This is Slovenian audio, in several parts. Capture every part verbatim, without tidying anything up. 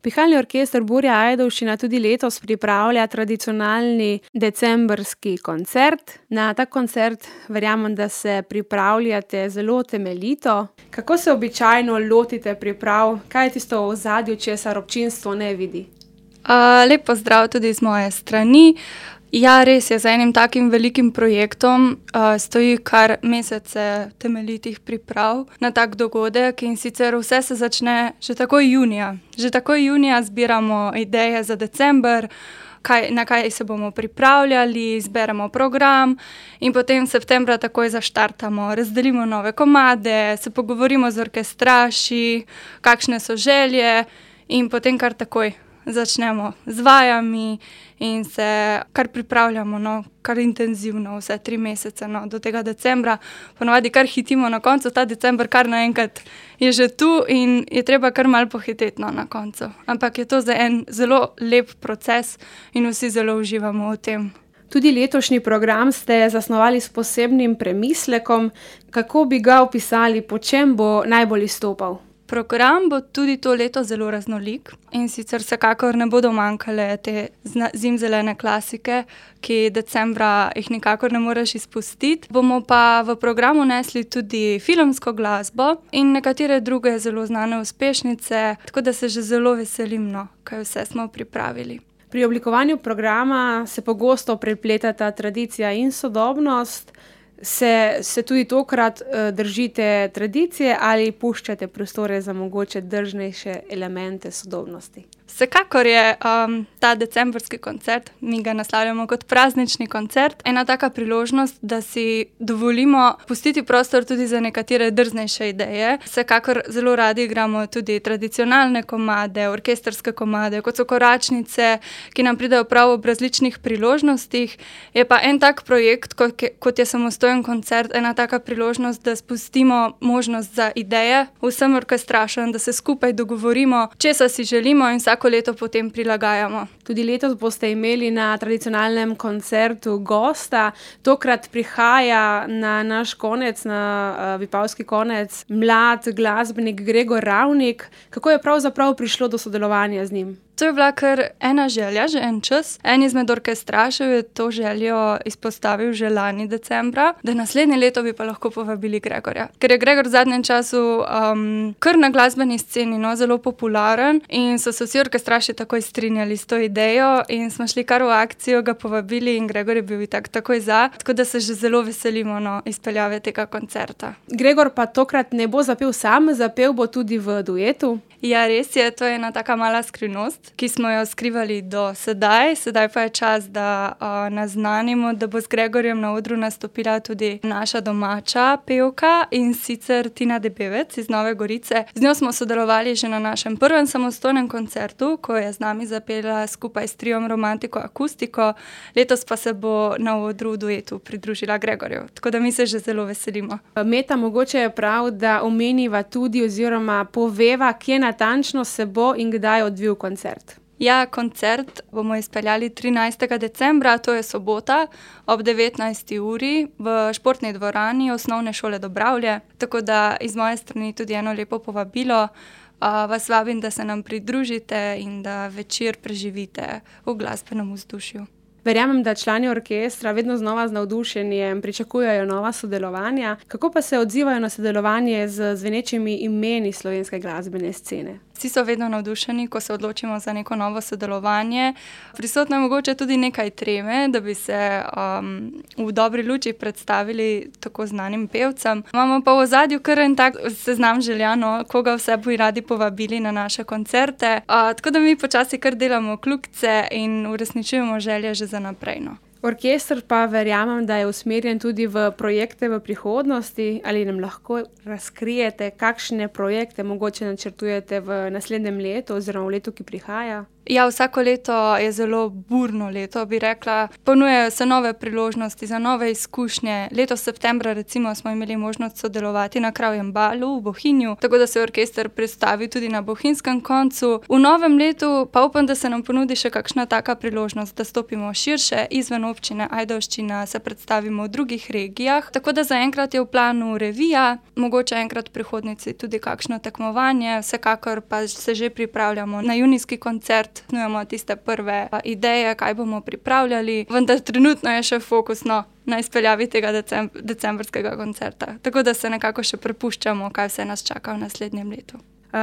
Pihalni orkester Burja Ajdovščina tudi letos pripravlja tradicionalni decembrski koncert. Na ta koncert verjamem, da se pripravljate zelo temeljito. Kako se običajno lotite priprav? Kaj je tisto v ozadju, česar občinstvo ne vidi? Uh, lep pozdrav tudi z moje strani. Ja, res je, za enim takim velikim projektom uh, stoji kar mesece temeljitih priprav na tak dogodek in sicer vse se začne že takoj junija. Že takoj junija zbiramo ideje za december, kaj, na kaj se bomo pripravljali, zberemo program in potem septembra takoj zaštartamo, razdelimo nove komade, se pogovorimo z orkestraši, kakšne so želje in potem kar takoj začnemo z vajami in se kar pripravljamo, no, kar intenzivno, vse tri mesece, no, do tega decembra. Ponavadi kar hitimo na koncu, ta december kar naenkrat je že tu in je treba kar malo pohiteti, no, na koncu. Ampak je to za en zelo lep proces in vsi zelo uživamo v tem. Tudi letošnji program ste zasnovali s posebnim premislekom. Kako bi ga opisali, po čem bo najbolj izstopal? Program bo tudi to leto zelo raznolik in sicer vsekakor ne bodo manjkale te zimzelene klasike, ki decembra jih nikakor ne moreš izpustiti. Bomo pa v programu nesli tudi filmsko glasbo in nekatere druge zelo znane uspešnice, tako da se že zelo veselim, no, kaj vse smo pripravili. Pri oblikovanju programa se pogosto prepletata tradicija in sodobnost. Se, se tudi tokrat uh, držite tradicije ali puščate prostore za mogoče drznejše elemente sodobnosti? Vsekakor je um, ta decembrski koncert, mi ga naslavljamo kot praznični koncert, ena taka priložnost, da si dovolimo pustiti prostor tudi za nekatere drznejše ideje. Vsekakor zelo radi igramo tudi tradicionalne komade, orkestrske komade, kot so koračnice, ki nam pridejo prav ob različnih priložnostih. Je pa en tak projekt, kot je, kot je samostojen koncert, ena taka priložnost, da spustimo možnost za ideje vsem orkestrašem, da se skupaj dogovorimo, česa si želimo in vsako leto potem prilagajamo. Tudi letos boste imeli na tradicionalnem koncertu gosta. Tokrat prihaja na naš konec, na uh, Vipavski konec, mlad glasbenik Gregor Ravnik. Kako je pravzaprav prišlo do sodelovanja z njim? To je bila kar ena želja, že en čas. En izmed orkestrašev je to željo izpostavil že lani decembra, da naslednje leto bi pa lahko povabili Gregorja. Ker je Gregor v zadnjem času um, kar na glasbeni sceni, no, zelo popularen in so se vsi orkestraši takoj strinjali s to idejo in smo šli kar v akcijo, ga povabili in Gregor je bil itak takoj za, tako da se že zelo veselimo, no, izpeljave tega koncerta. Gregor pa tokrat ne bo zapel sam, zapel bo tudi v duetu. Ja, res je, to je ena taka mala skrivnost, ki smo jo skrivali do sedaj. Sedaj pa je čas, da uh, naznanimo, da bo z Gregorjem na odru nastopila tudi naša domača pevka in sicer Tina Debevec iz Nove Gorice. Z njo smo sodelovali že na našem prvem samostojnem koncertu, ko je z nami zapela skupaj s triom Romantiko Akustiko. Letos pa se bo na odru v duetu pridružila Gregorju, tako da mi se že zelo veselimo. Meta, mogoče je prav, da omeniva tudi oziroma poveva, kje natančno se bo in kdaj odvil koncert. Ja, koncert bomo izpeljali trinajstega decembra, to je sobota, ob devetnajsti uri v športni dvorani Osnovne šole Dobravlje. Tako da iz moje strani tudi eno lepo povabilo. Uh, vas vabim, da se nam pridružite in da večer preživite v glasbenem vzdušju. Verjamem, da člani orkestra vedno znova z navdušenjem pričakujejo nova sodelovanja. Kako pa se odzivajo na sodelovanje z zvenečimi imeni slovenske glasbene scene? Vsi so vedno navdušeni, ko se odločimo za neko novo sodelovanje. Prisotno je mogoče tudi nekaj treme, da bi se um, v dobri luči predstavili tako znanim pevcem. Imamo pa v ozadju kar en tak seznam željano, koga vse bi radi povabili na naše koncerte. Uh, tako da mi počasi kar delamo kljukice in uresničujemo želje že za naprej, no. Orkester pa verjamem, da je usmerjen tudi v projekte v prihodnosti. Ali nam lahko razkrijete, kakšne projekte mogoče načrtujete v naslednjem letu oziroma v letu, ki prihaja? Ja, vsako leto je zelo burno leto, bi rekla. Ponujajo se nove priložnosti za nove izkušnje. Letos septembra recimo smo imeli možnost sodelovati na Kravjem balu v Bohinju, tako da se je orkester predstavil tudi na bohinjskem koncu. V novem letu pa upam, da se nam ponudi še kakšna taka priložnost, da stopimo širše izven občine Ajdovščina, se predstavimo v drugih regijah. Tako da zaenkrat je v planu revija, mogoče enkrat v prihodnici tudi kakšno tekmovanje, vsekakor pa se že pripravljamo na junijski koncert. Snujemo tiste prve ideje, kaj bomo pripravljali, vendar trenutno je še fokusno na izpeljavi tega decem- decembrskega koncerta. Tako da se nekako še prepuščamo, kaj vse nas čaka v naslednjem letu.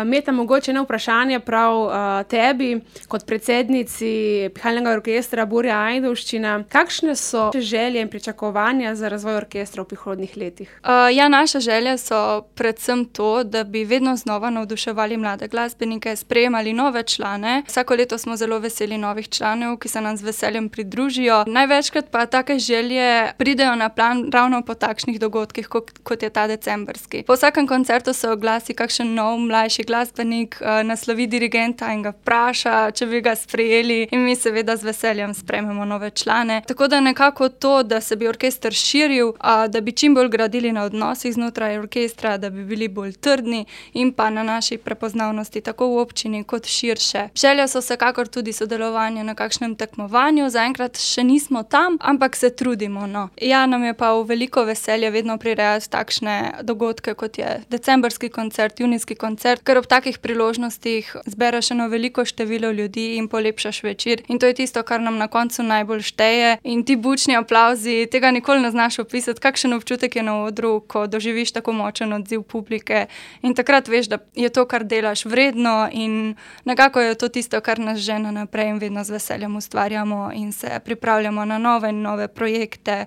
Meta, mogoče eno vprašanje prav uh, tebi, kot predsednici Pihalnega orkestra Burja Ajdovščina. Kakšne so želje in pričakovanja za razvoj orkestra v prihodnjih letih? Uh, ja, naše želje so predvsem to, da bi vedno znova navduševali mlade glasbenike, sprejemali nove člane. Vsako leto smo zelo veseli novih članov, ki se nam z veseljem pridružijo. Največkrat pa take želje pridejo na plan ravno po takšnih dogodkih, kot, kot je ta decembrski. Po vsakem koncertu se oglasi kakšen nov mlajši glasbenik, naslovi dirigenta in ga vpraša, če bi ga sprejeli, in mi seveda z veseljem sprejmemo nove člane. Tako da nekako to, da se bi orkester širil, da bi čim bolj gradili na odnosih znotraj orkestra, da bi bili bolj trdni in pa na naši prepoznavnosti tako v občini kot širše. Želja so vsekakor tudi sodelovanje na kakšnem tekmovanju, zaenkrat še nismo tam, ampak se trudimo, no. Ja, nam je pa v veliko veselje vedno prirejati takšne dogodke, kot je decembrski koncert, junijski koncert, ker ob takih priložnostih zbereš eno veliko število ljudi in polepšaš večer. In to je tisto, kar nam na koncu najbolj šteje. In ti bučni aplavzi, tega nikoli ne znaš opisati, kakšen občutek je na odru, ko doživiš tako močen odziv publike. In takrat veš, da je to, kar delaš, vredno, in nekako je to tisto, kar nas žene naprej in vedno z veseljem ustvarjamo in se pripravljamo na nove in nove projekte.